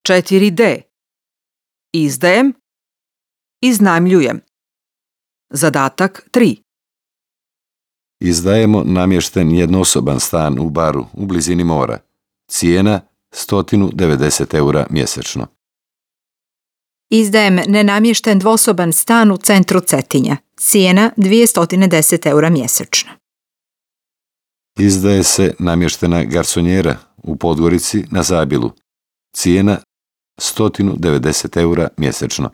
4D. Izdajem, iznajmljujem. Zadatak 3. Izdajemo namješten jednosoban stan u Baru u blizini mora. Cijena 190 € mjesečno. Izdajem nenamješten dvosoban stan u centru Cetinja. Cijena 210 € mjesečno. Izdaje se namještena garsonjera u Podgorici na Zabilu. Cijena 190 € mjesečno.